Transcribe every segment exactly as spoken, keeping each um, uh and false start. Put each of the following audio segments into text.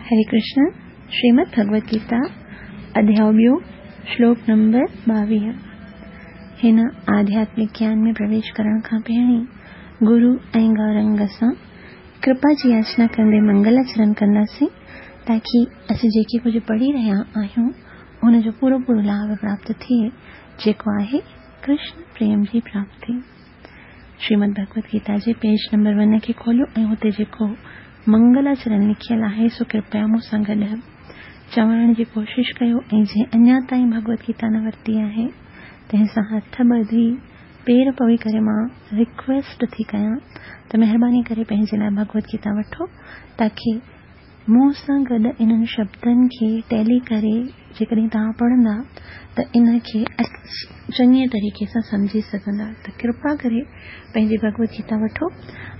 हरे कृष्ण। श्रीमद् भगवत गीता अध्याय ॿियो श्लोक नंबर ॿावीह। हिन आध्यात्मिक ज्ञान में प्रवेश करण खां पहिरीं गुरु ऐं गौरंग सां कृपा जी याचना कंदे मंगलाचरण कंदासीं ताकी असीं जेके कुझु पढ़ी रहिया आहियूं हुनजो पूरो पूरो लाभ प्राप्त थिए, जेको आहे कृष्ण प्रेम जी प्राप्ति। श्रीमद् भगवत गीता जे पेज नंबर वन खे खोलियो ऐं हुते जेको मंगलाचरण लिखियल आहे सो कृपया मूंसां गॾु चवण जी कोशिश कयो ऐं जंहिं अञा ताईं भगवत गीता न वरिती आहे तंहिंसां हथ ॿधी पेर पवी करे मां रिक्वेस्ट थी कयां त महिरबानी करे पंहिंजे लाइ भगवत गीता वठो ताकी मूंसां गॾु इन्हनि शब्दनि खे टैली करे जेकॾहिं तव्हां पढ़ंदा त इन खे चङे तरीक़े सां सम्झी सघंदा। त कृपा करे पंहिंजी भगवत गीता वठो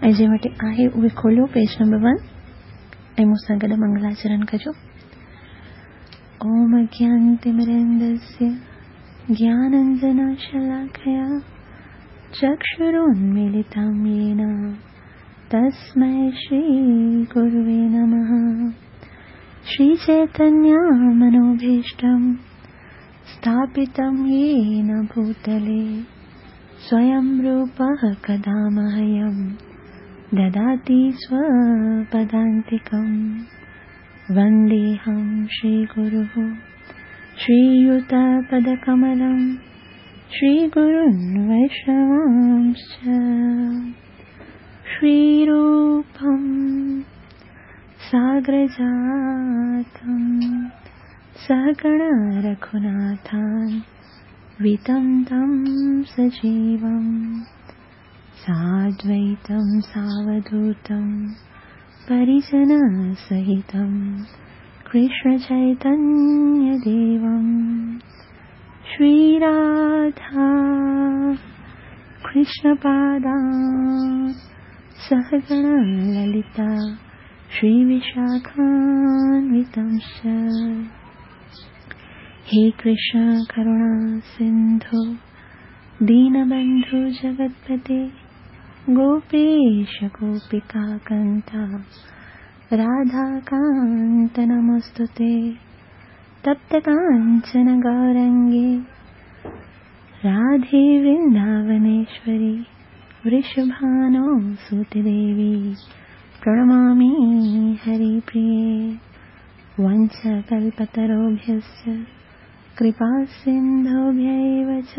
ऐं जंहिं वटि आहे उहे खोलियो पेज नंबर वन ऐं मूंसां गॾु मंगलाचरण कजो। ओम अज्ञानतिमिरन्धस्य ज्ञानाञ्जनशलाकया चक्षुरुन्मीलितं येन तस्मै श्रीगुरुवे नमः। श्रीचैतन्यमनोभीष्टं स्थापितं येन भूतले स्वयं रूपः कदा मह्यं ददाति स्वपदान्तिकं। वन्देऽहं श्रीगुरुः श्रीयुतपदकमलं श्रीगुरुन् वैष्णवांश्च। श्रीरूपं साग्रजातं सहगण रघुनाथान्वितं तं सजीवं साद्वैतं सावधूतं परिजनसहितं कृष्णचैतन्यदेवं। श्रीराधा कृष्णपादान् सहगण ललिता श्रीविशाखान्वितंश्च। हे कृष्ण करुणा सिन्धु दीनबन्धु जगत्पते गोपेश गोपिकान्त राधाकान्त नमोऽस्तुते। तप्तकाञ्चन गौरङ्गे राधे वृन्दावनेश्वरी वृषभानो सुते देवी प्रणमामि हरिप्रिये। वंशकल्पतरुभ्यश्च कृपासिन्धुभ्य एव च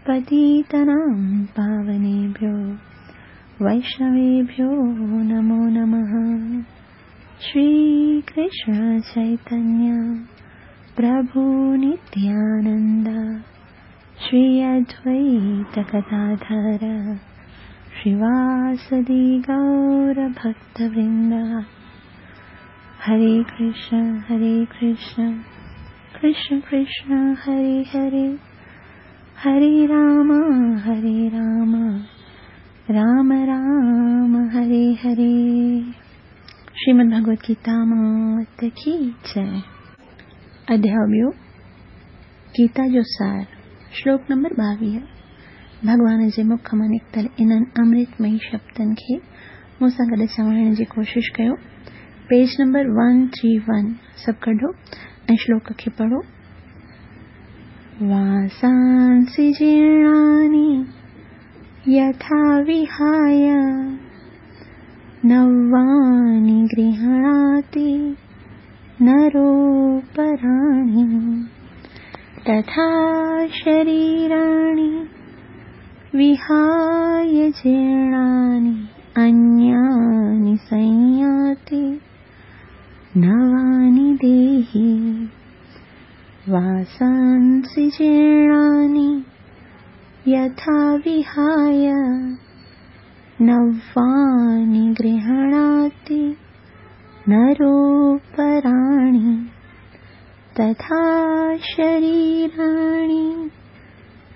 पतितानां पावनेभ्यो वैष्णवेभ्यो नमो नमः। श्रीकृष्ण चैतन्य प्रभु नित्यानन्द श्री अद्वैत गदाधर श्रीवासदि गौरभक्तवृन्द। हरे कृष्ण हरे कृष्ण कृष्ण कृष्ण हरे हरे, हरे राम हरे राम राम राम हरे हरे। श्रीमद् भगवत गीता मात की जय। अध्याय ॿियो गीता जो सार, श्लोक नंबर ॿावीह। भॻवान जे मुख मां निकितल इन्हनि अमृतमयी शब्दनि खे मूंसां गॾु चवण जी कोशिश कयो। Page number one three one सभु कढो ऐं श्लोक खे पढ़ो। वासांसि जीर्णानि यथा विहाय नवानि गृह्णाति नरोपराणि तथा शरीराणि विहाय जीर्णानि अन्यानि संयाति नवानि देहि। वासांसि जीर्णानि यथा विहाय नवानि गृह्णाति नरोपराणि तथा शरीराणि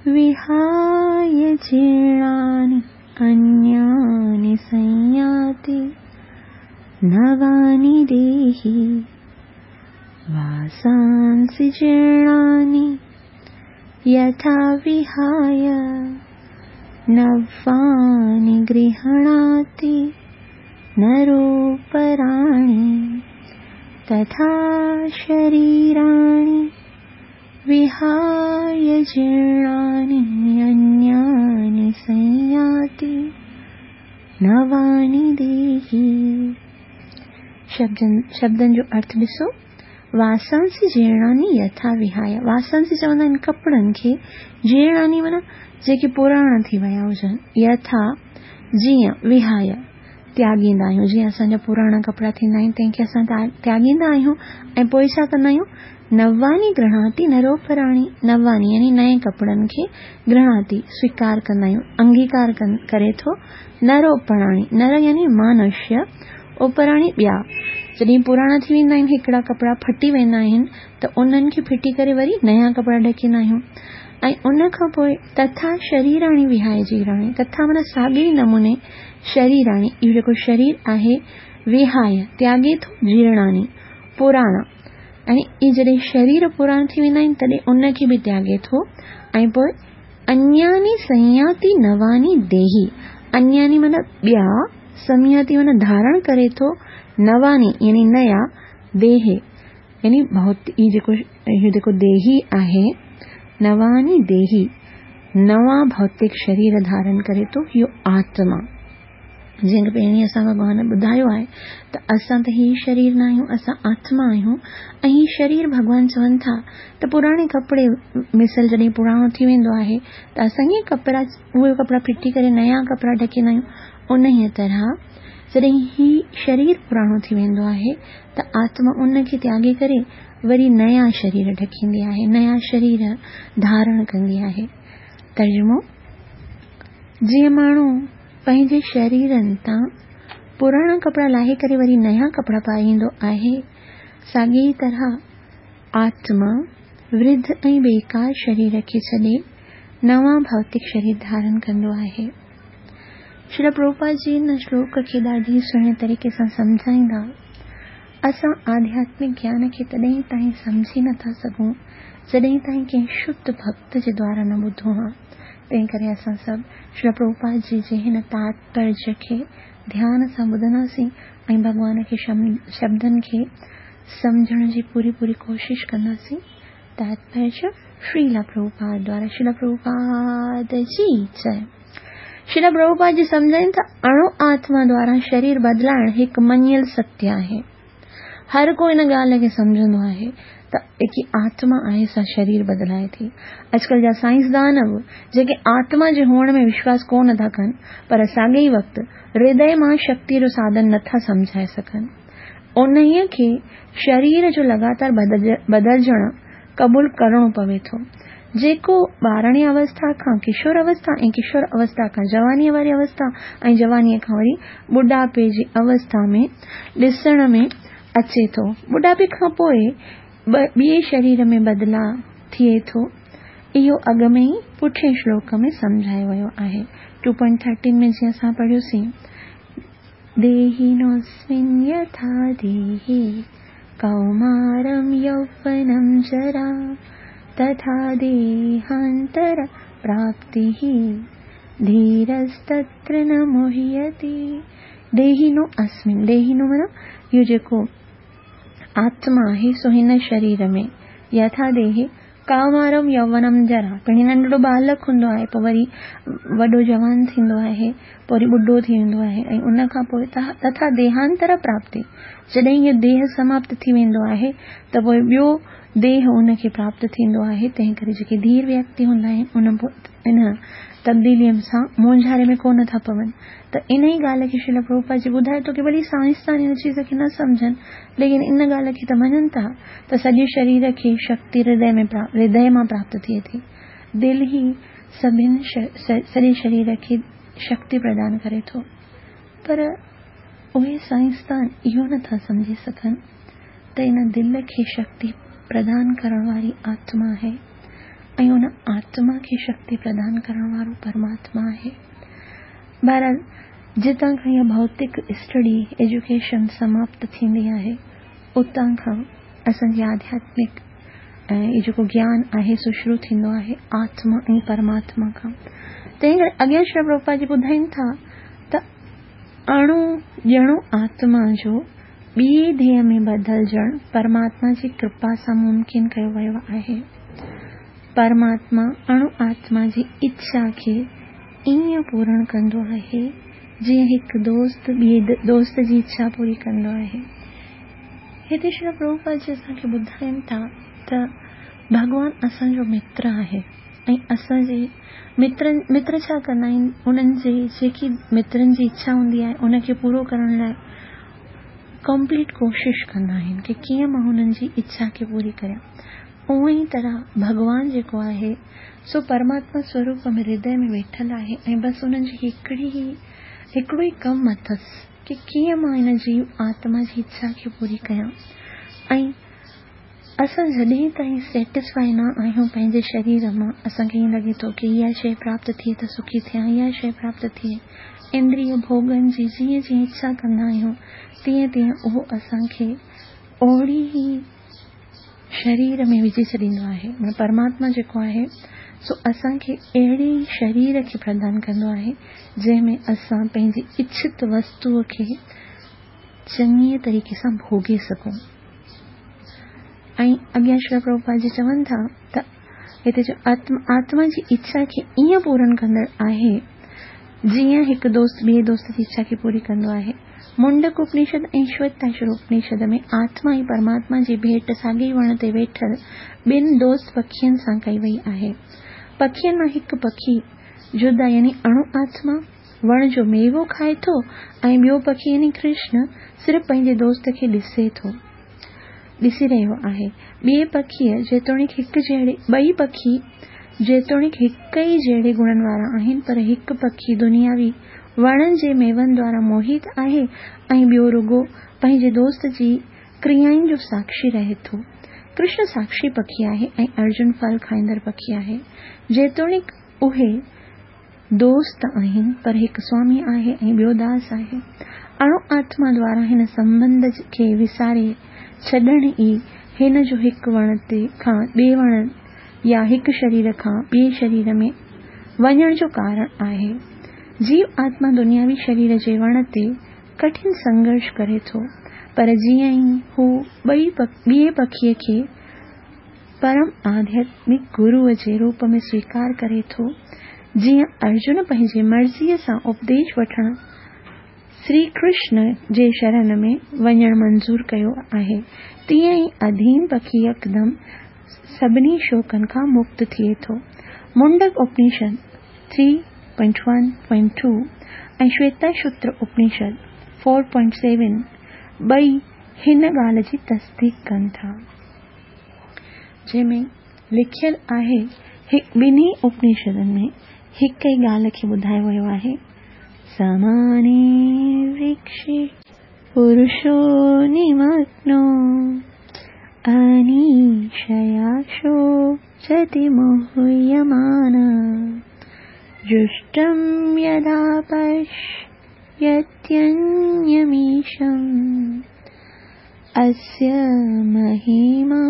विहाय जीर्णानि अन्यानि संयाति नवानि देहि। वासांसि जीर्णानि यथा विहाय नवानि गृह्णाति नरोपराणि तथा शरीराणि विहाय जीर्णानि अन्यानि संयाति नवानि देहि। शब्दनि शब्दनि जो अर्थ ॾिसो, वासांसि जीर्णानि यथा विहाय। वासांसि चवंदा आहिनि कपिड़नि खे, जीर्णानि माना जेके पुराणा थी विया हुजनि, यथा जीअं, विहाय त्यागींदा आहियूं, जीअं असांजा पुराणा कपिड़ा थींदा आहिनि तंहिंखे असां त्यागींदा आहियूं ऐं पोइ छा कंदा आहियूं, नवानि गृह्णाति नरोपराणि। नवानि यानी नए कपिड़नि खे गृह्णाति स्वीकार कंदा आहियूं, अंगीकार करे थो। नरोपराणि, नर यानी मनुष्य, उपराणि ॿिया। जॾहिं पुराणा थी वेंदा आहिनि, हिकिड़ा कपिड़ा फटी वेंदा आहिनि त उन्हनि खे फिटी करे वरी नया कपिड़ा ढकींदा आहियूं। ऐं उन खां पोइ तथा शरीराणि विहाय जीर्णाणि। तथा माना साॻे ई नमूने शरीराणि, इहो जेको शरीर आहे, विहाय त्यागे थो, जीर्णाणि पुराणा, ऐं इहे जॾहिं शरीर पुराणा थी वेंदा आहिनि तॾहिं उनखे बि त्यागे थो। ऐं पोइ अन्यानि संयाति नवानि देहि। अन्यानि माना ॿिया, संयाति माना धारण करे थो, नवानि यानी नया, देहे यानी भौतिक, इहो जेको इहो जेको देही आहे, नवानि देही नवां भौतिक शरीर धारण करे थो, इहो आत्मा। जीअं पहिरीं असां भॻवान ॿुधायो आहे त असां त हीउ शरीर न आहियूं, असां आत्मा आहियूं। ऐं हीउ शरीर भॻवान चवनि था त पुराणे कपिड़े मिसल जॾहिं पुराणो थी वेंदो आहे त असां ईअं कपिड़ा, उहे कपिड़ा फिटी करे नया कपिड़ा ढकींदा आहियूं। उन तरह जॾहिं हीउ शरीर पुराणो थी वेंदो आहे त आत्मा उनखे त्यागे करे वरी नया शरीर ढकींदी आहे, नया शरीर धारण कंदी आहे। तर्जुमो, जीअं माण्हू पंहिंजे शरीरनि तां पुराणा कपिड़ा लाहे करे वरी नया कपिड़ा पाईंदो आहे, साॻी ई तरह आत्मा वृद्ध ऐं बेकार शरीर खे छॾे नवां भौतिक शरीर धारण कंदो आहे। श्रील प्रभुपाद जी हिन श्लोक खे ॾाढी सुहिणे तरीक़े सां सम्झाईंदा, असां आध्यात्मिक ज्ञान खे तॾहिं ताईं सम्झी नथा सघूं जॾहिं ताईं कंहिं शुद्ध भक्त जे द्वारा न ॿुधो हा। तंहिं करे असां सभु श्रील प्रभुपाद जी जे हिन तात्पर्य खे ध्यान सां ॿुधंदासीं ऐं भॻवान खे शब्दनि खे सम्झण जी पूरी पूरी कोशिश कंदासीं। तात्पर्य श्रील प्रभुपाद द्वारा। श्रील प्रभुपाद जी जय। श्रील प्रभुपाद जी सम्झाइनि था अणु आत्मा द्वारा शरीर बदिलाइण हिकु मञियल सत्य आहे। हर को इन ॻाल्हि खे सम्झंदो आहे त जेकी आत्मा आहे सा शरीर बदिलाए थी। अॼुकल्ह जा साइंसदान बि जेके आत्मा जे हुअण में विश्वास कोन था कनि, पर साॻे ई वक़्तु हृदय मां शक्तिअ जो साधन नथा सम्झाए सघनि। उन्हीअ खे शरीर जो लगातार बदिलजणु क़बूल करिणो पवे थो। जेको ॿाराणी अवस्था खां किशोर अवस्था ऐं किशोर अवस्था खां जवानीअ वारी अवस्था ऐं जवानीअ खां वरी ॿुढापे जी अवस्था में ॾिसण में अचे थो। ॿुढापे खां पोइ ॿिए शरीर में बदिलाव थिए थो। इहो अॻु में ई पुठिए श्लोक में सम्झायो वियो आहे। टू पॉइंट थर्टीन में जीअं असां पढ़ियोसीं, देहिनोऽस्मिन् यथा देहे कौमारं यौवनं जरा तथा देहांतर प्राप्तिः धीरस्तत्र न मुह्यति। देहिनो अस्मिन्, देहिनो माना इहो जेको आत्मा आहे सो हिन शरीर में, यथा देहे कौमारम यौवनम जरा, पहिरीं नंढड़ो बालक हूंदो आहे, पोइ वरी वॾो जवान थींदो आहे, पोइ वरी ॿुढो थी वेंदो आहे ऐं उन खां पोइ तथा देहांतर प्राप्ति, जॾहिं इहो देह समाप्त थी वेंदो आहे त पोइ ॿियो देह उनखे प्राप्त थींदो आहे। तंहिं करे जेके धीर व्यक्ति हूंदा आहिनि उन इन तब्दीलीअ सां मूंझारे में कोन था पवनि। त इन ई ॻाल्हि खे श्रील प्रभुपाद जी ॿुधाए थो की भली साइंसदान इन चीज़ खे न सम्झनि, लेकिन इन ॻाल्हि खे त मञनि था त सॼे शरीर खे शक्ति हृदय में हृदय मां प्राप्त थिए थी। दिलि ई सभिनि सॼे शरीर खे शक्ति प्रदान करे थो, पर उहे साइंसदान इहो नथा सम्झी सघनि त इन दिलि खे शक्ति प्रदान करण वारी आत्मा आहे ऐं उन आत्मा खे शक्ति प्रदान करण वारो परमात्मा आहे। बहरहाल जितां खां इहा भौतिक स्टडी एजुकेशन समाप्त थींदी आहे उतां खां असांजी आध्यात्मिक ऐं इहो जेको ज्ञान आहे सो शुरू थींदो आहे आत्मा ऐं परमात्मा खां। तंहिं करे अॻियां श्री प्रभुपाद जी ॿुधाइनि था त अणु ॼणो आत्मा जो ٻئي ديهه ۾ بدلجڻ پرماتما جي ڪرپا سان ممڪن ڪيو ويو آهي. پرماتما اڻو آتما جي اڇا کي ائين پورڻ ڪندو آهي جيئن هڪ دوست ٻئي دوست جي اڇا پوري ڪندو آهي. هتي شري پرڀوپاد جي اسان کي ٻڌائين ٿا ته ڀڳوان اسان جو متر آهي ۽ اسان جي مترن متر ڇا ڪندا آهن، انهن جي جيڪي مترن جي اڇا هوندي آهي ان کي پورو ڪرڻ لاءِ ڪمپليٽ ڪوشش ڪندا آهن ڪه ڪيئن مان هنن جي اڇا کي پوري ڪريان. اها ئي طرح ڀڳوان جيڪو آهي سو پرماتما سوروپ ۾ هردي ۾ ويٺل آهي ۽ بس انهن جي هڪڙي ئي هڪڙو ئي ڪم اٿس ڪه ڪيئن مان هن جيو آتما جي اڇا کي پوري ڪيان. ۽ اسان جڏهن تائين سيٽسفائي نه آهيون پنهنجي شرير مان، اسان کي ائين لڳي ٿو ڪه اها شيءِ پراپت ٿئي ته سکي ٿيان، اها شيءِ پراپت ٿئي، اندريه ڀوڳن جي جيئن جيئن اڇا ڪندا آهيون تيئن تيئن اهو اسان کي اوهڙي ئي شرير ۾ وجهي ڇڏيندو آهي. معنيٰ پرماتما جيڪو آهي سو اسان کي اهڙي ئي شرير کي پردان ڪندو آهي جنهن ۾ اسان پنهنجي اڇت وستوءَ کي چڱيءَ طريقي سان ڀوڳي سگهون. ۽ اڳيان شري پرڀوپاد جي چون ٿا ته هتي جو آتما جي اڇا کي ائين پورن ڪندڙ آهي جيئن هڪ دوست ٻئي دوست جي اڇا کي پوري ڪندو آهي. منڊڪ اپنشد ۽ شويتاشور اپنشد ۾ آتما ۽ پرماتما جي ڀيٽ ساڳئي وڻ تي ويٺل ٻن دوست پکين سان ڪئي وئي آهي. پکين مان هڪ پکي جدا يعني اڻو آتما وڻ جو ميوو کائي ٿو ۽ ٻيو پکي يعني ڪرشن صرف پنهنجي دوست کي ڏسي ٿو ڏسي رهيو آهي. ٻئي پکيءَ جيتوڻيڪ هڪ جهڙي ٻئي پکي جيتوڻيڪ هڪ ئي جهڙي گڻن وارا آهن، پر هڪ پکي دنياوي وڻن جي ميون دوارا موهت آهي ۽ ٻيو رڳو پنهنجي دوست جي ڪريائن جو ساکشي رهي ٿو. ڪرشن ساکشي پکي آهي ۽ ارجن ڦل کائيندڙ پکي آهي. جيتوڻيڪ اهي دوست آهن، پر هڪ سوامي آهي ۽ ٻيو داس آهي. اڻو آتما دوارا هن سنٻنڌ کي وساري ڇڏڻ ئي هن جو هڪ وڻ تي کان ٻئي وڻ يا هڪ شرير کان ٻئي شرير ۾ وڃڻ جو ڪارڻ آهي. جيو آتما دنياوي شرير جي وڻ تي ڪٺن سنگهرش ڪري ٿو، پر جيئن ئي هو ٻئي ٻئي پکيءَ کي پرم آڌياتمڪ گروءَ جي روپ ۾ سويڪار ڪري ٿو، جيئن ارجن پنهنجي مرضيءَ سان اپديش وٺڻ شري ڪرشن جي شرڻ ۾ وڃڻ منظور ڪيو آهي، تيئن ئي اڌين پکي يڪدم سڀني شوڪن کان مڪت ٿئي ٿو. Mundaka Upanishad three point one point two ۽ Shvetashvatara Upanishad four point seven ٻئي هن ڳالهه جي تصديق ڪن ٿا، جنهن ۾ لکيل آهي ٻنهي اپنشدن ۾ هڪ ئي ڳالهه کي ٻڌايو ويو آهي. समाने वृक्षे पुरुषो निमग्नो अनीशया शोचति मुह्यमानः जुष्टं यदा पश्यत्यन्यमीशम् अस्य महिमा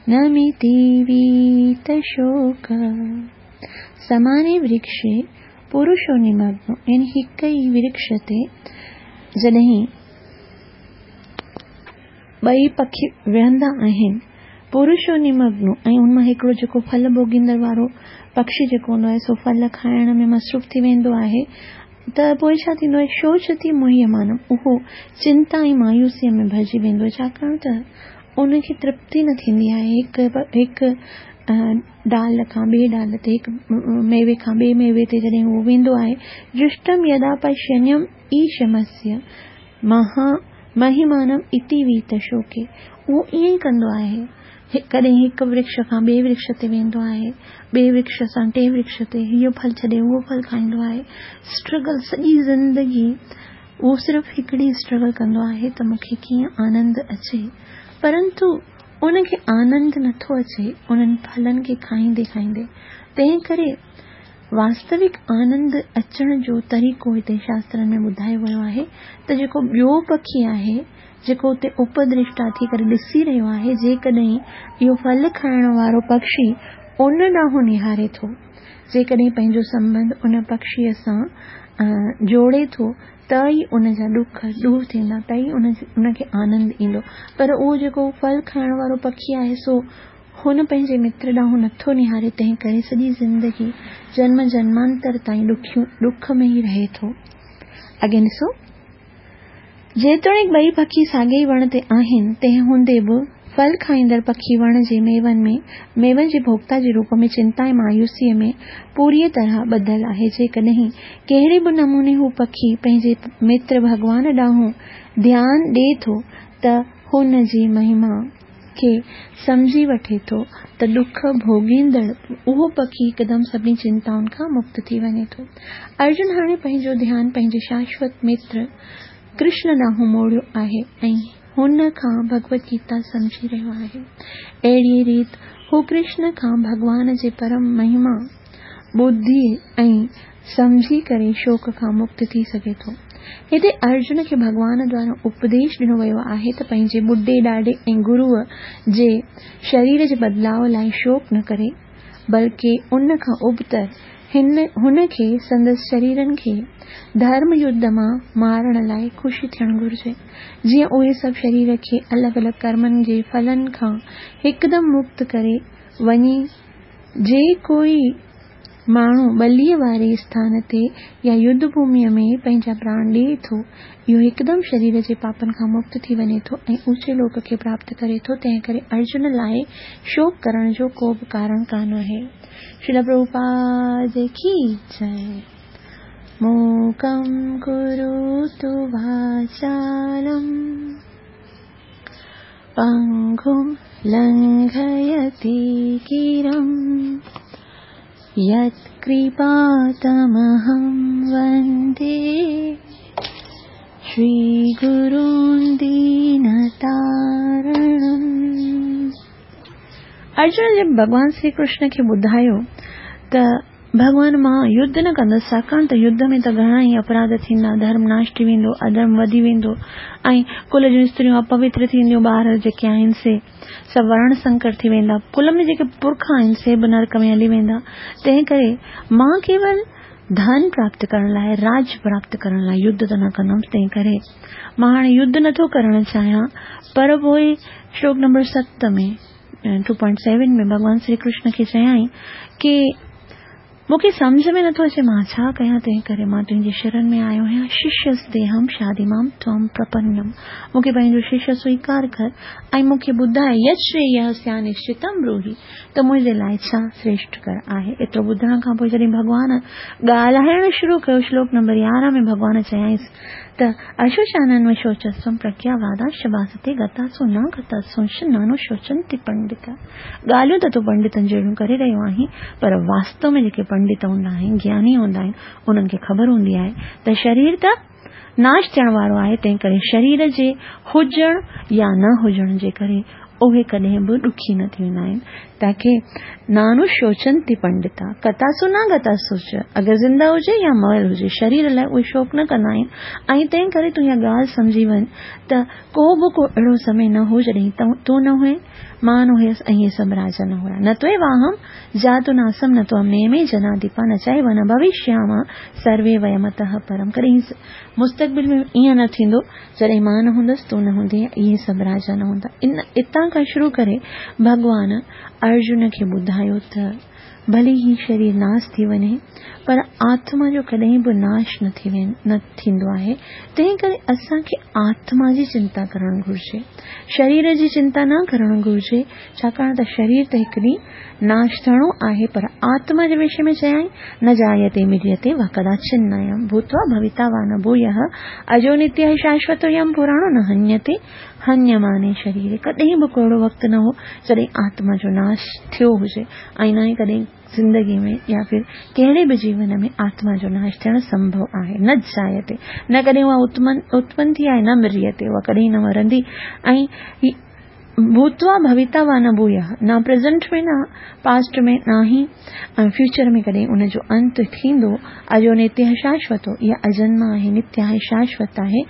नमिति वीतशोकः। समाने वृक्षे पुरुषो निमग्नो यानी हिक ई वृक्ष ते जॾहिं ॿई पखी विहंदा आहिनि, पुरुषो निमग्नो ऐं उन मां हिकिड़ो जेको फल भोगींदड़ वारो पक्षी जेको हूंदो आहे सो फल खाइण में मसरूफ़ थी वेंदो आहे, त पोइ छा थींदो आहे, शोचति मुह्यमानम, उहो चिंता ऐं मायूसीअ में भरिजी वेंदो आहे, छाकाणि त उनखे तृप्ति न थींदी आहे। हिकु हिकु डाल खां ॿिए डाल ते, हिकु मेवे खां ॿिए मेवे ते जॾहिं उहो वेंदो आहे, जुष्टम यदा पश्यन्यम ईशमस्य महा महिमानम इति वीतशोके, उहो ईअं ई कंदो आहे। कॾहिं हिकु वृक्ष खां ॿिए वृक्ष ते वेंदो आहे, ॿिए वृक्ष सां टे वृक्ष ते, इहो फल छॾे उहो फल खाईंदो आहे। स्ट्रगल सॼी ज़िंदगी उहो सिर्फ़ु हिकिड़ी स्ट्रगल कंदो आहे त मूंखे कीअं आनंद अचे, परंतु उनखे आनंद नथो अचे उन्हनि फलनि खे खाईंदे खाईंदे। तंहिं करे वास्तविक आनंद अचण जो तरीक़ो हिते शास्त्रनि में ॿुधायो वियो आहे त जेको ॿियो पखी आहे जेको उते उपद्रष्टा थी करे ॾिसी रहियो आहे, जेकॾहिं इहो फल खाइण वारो पक्षी उन ॾांहुं निहारे थो, जेकॾहिं पंहिंजो संबंध उन पक्षीअ सां जोड़े थो, त ته ئي ان جا ڏک ڏور ٿيندا، ته ئي ان کي آنند ايندو. پر اهو جيڪو ڦل کائڻ وارو پکي آهي سو هن پنهنجي متر ڏانهن نٿو نهاري، تنهن ڪري سڄي زندگي جنم جنمانتر تائين ڏک ۾ ئي رهي ٿو. اڳي ڏسو، جيتوڻيڪ ٻئي پکي ساڳئي ئي وڻ تي آهن، تنهن هوندي به ڦل کائيندڙ پکي وڻ جي ميون ۾ ميون جي ڀوڳتا جي روپ ۾ چنتا ۽ مايوسيء ۾ پوريء طرح ٻڌل آهي. جيڪڏهن ڪهڙي به نموني هو پکي پنهنجي متر ڀڳوان ڏانهن ڌيان ڏئي ٿو ته هن جي مهما کي سمجهي وٺي ٿو ته ڏک ڀوڳيندڙ اهو پکي هڪدم سڀني چنتائن کان مڪت ٿي وڃي ٿو. ارجن هاڻي پنهنجو ڌيان پنهنجي شاشوت متر ڪرشن ڏانهن موڙيو آهي ۽ هن کان ڀڳوت گيتا سمجهي رهيو آهي. اهڙيء ريت هو ڪرشن کان ڀڳوان جي پرم مهما ٻڌي ۽ سمجهي ڪري شوڪ کان مڪت ٿي سگهي ٿو. هتي ارجن کي ڀڳوان دوارا اپديش ڏنو ويو آهي ته پنهنجي ٻڍي ڏاڏي ۽ گروء جي شرير جي بدلاء لاء شوڪ نه ڪري، بلڪه ان کان ابتر هن کي سندس شريرن کي ڌرم يڌ مان مارڻ لاء خوش ٿيڻ گهرجي، جيئن اهي سڀ شرير کي الڳ الڳ ڪرمن جي ڦلن کان هڪدم مڪت ڪري وڃي. جي ڪوئي ماڻهو ٻليء واري اسٿان تي يا يڌ ڀوميء ۾ پنهنجا پراڻ ڏئي ٿو، اهو هڪدم شرير جي پاپن کان مڪت ٿي وڃي ٿو ۽ اوچي لوڪ کي پراپت ڪري ٿو. تنهن ڪري ارجن لاء شوڪ ڪرڻ جو ڪو به ڪارڻ ڪانه آهي. شريل پرڀوپاد ڪي جئي. موڪم ڪروتु واچالم پنگم لنگهيتي گرم यत्कृपातमहं वन्दे श्रीगुरुं दीनतारणम्। ارجن جڏهن ڀڳوان شري ڪرشن کي ٻڌايو ته ڀڳوان مان يڌ نه ڪندس، ڇاڪاڻ ته يڌ ۾ ته گهڻا ئي اپراڌ ٿيندا، ڌرم ناش ٿي ويندو، اڌرم وڌي ويندو ۽ ڪل جون استريون اپوتر ٿينديون، ٻار جيڪي آهن سي سڀ ورڻ سنڪر ٿي ويندا، ڪل ۾ جيڪي پرک آهن سي به نرڪ ۾ هلي ويندا، تنهن ڪري مان ڪيول ڌن پراپت ڪرڻ لاء، راج پراپت ڪرڻ لاء يڌ ته نه ڪندم، تنهن ڪري مان هاڻي يڌ نٿو ڪرڻ چاهيان. پر پوء شلوڪ نمبر ست ۾ ٽو پوائنٽ سيون ۾ ڀڳوان شري ڪرشن کي چيائين ڪي مون کي سمجهه ۾ نٿو اچي مان ڇا ڪيان، تنهن ڪري مان تنهنجي شرن ۾ آيو آهيان. ششيستيهم شاديمام ತ್ವಂ ಪ್ರಪನ್ನಂ، مون کي پنهنجو ششيه سويڪار ڪر ۽ مون کي ٻڌاء يتشرييه سيان نشچتم بروهي، ته منهنجي لاء ڇا شريشٺ ڪر آهي. ايترو ٻڌڻ کان پوء جڏهن ڀڳوان ڳالهائڻ شروع ڪيو، شلوڪ نمبر يارهن ۾ ڀڳوان چيائينس ته اشوچانن شوچسم پرگياواداش ڀاستي گتاسو نه گتاسونش نانو شوچنتي پنڊت. ڳالهيون ته تون پنڊتن جهڙيون ڪري رهيو آهين، پر واستو ۾ جيڪي پنڊت هوندا آهن، گياني هوندا آهن، انهن کي خبر هوندي آهي ته شرير ته ناش ٿيڻ وارو آهي، تنهن ڪري شرير جي هجڻ يا نه هجڻ جي ڪري اهي ڪڏهن به ڏکي نه ٿي ويندا آهن. تاڪي نانو شوچنتي پنڊتا ڪتاسو نه گتاسو چ، اگر زنده هجي يا مئل هجي، شرير لاء اهي شوڪ نه ڪندا آهن. ۽ تنهن ڪري تون اها ڳالهه سمجهي وڃ ته ڪو به ڪو اهڙو سمي نه هو جڏهن تون نه هئين، مان نه هيس ۽ اهي سڀ راجا نه هيا. نه توئي واهم جاتو ناسم نه توم نيمي جناديپا نه چئي نه ڀوشيام سروي ويمتः پرم. ڪڏهن مستقبل ۾ ائين نه ٿيندو جڏهن مان نه هوندس، تون نه هوندين، اهي سڀ راجا نه هوندا. ان اتان کان شروع ڪري ڀڳوان ارجن کي ٻڌايو ته ڀلي هي شرير ناش ٿي وڃي، پر آتما جو ڪڏهن به ناش نه ٿي نه ٿيندو آهي. تنهن ڪري اسان کي آتما جي چنتا ڪرڻ گهرجي، شرير جي چنتا نه ڪرڻ گهرجي، ڇاڪاڻ ته شرير ته هڪ ڏينهن ناش ٿيڻو آهي. پر آتما جي وشي ۾ چيائين نه جايتي مريتي وا ڪداچن نيم ڀوتوا ڀويتا وا نه ڀويه اجو نتيه شاشوتو يم پراڻو نه هنيتي هنيماني شرير. ڪڏهن به ڪو اهڙو وقت نه هو جڏهن آتما جو ناش ٿيو هجي ۽ نه ئي ڪڏهن زندگي ۾ يا ڦر ڪهڙي به جيون ۾ آتما جو ناش ٿيڻ سنڀو آهي. نه جايتي، نه ڪڏهن اها اتپن ٿي آهي، نه مريتي، اها ڪڏهن نه مرندي. ۽ ڀوتوا ڀويتا وا نه ڀويه، نه پريزنٽ ۾ نه پاسٽ ۾ نه ئي ۽ فيوچر ۾ ڪڏهن ان جو انت ٿيندو. اجو نتيه شاشوتو، اها اجنم آهي، نتيه آهي، شاشوت آهي.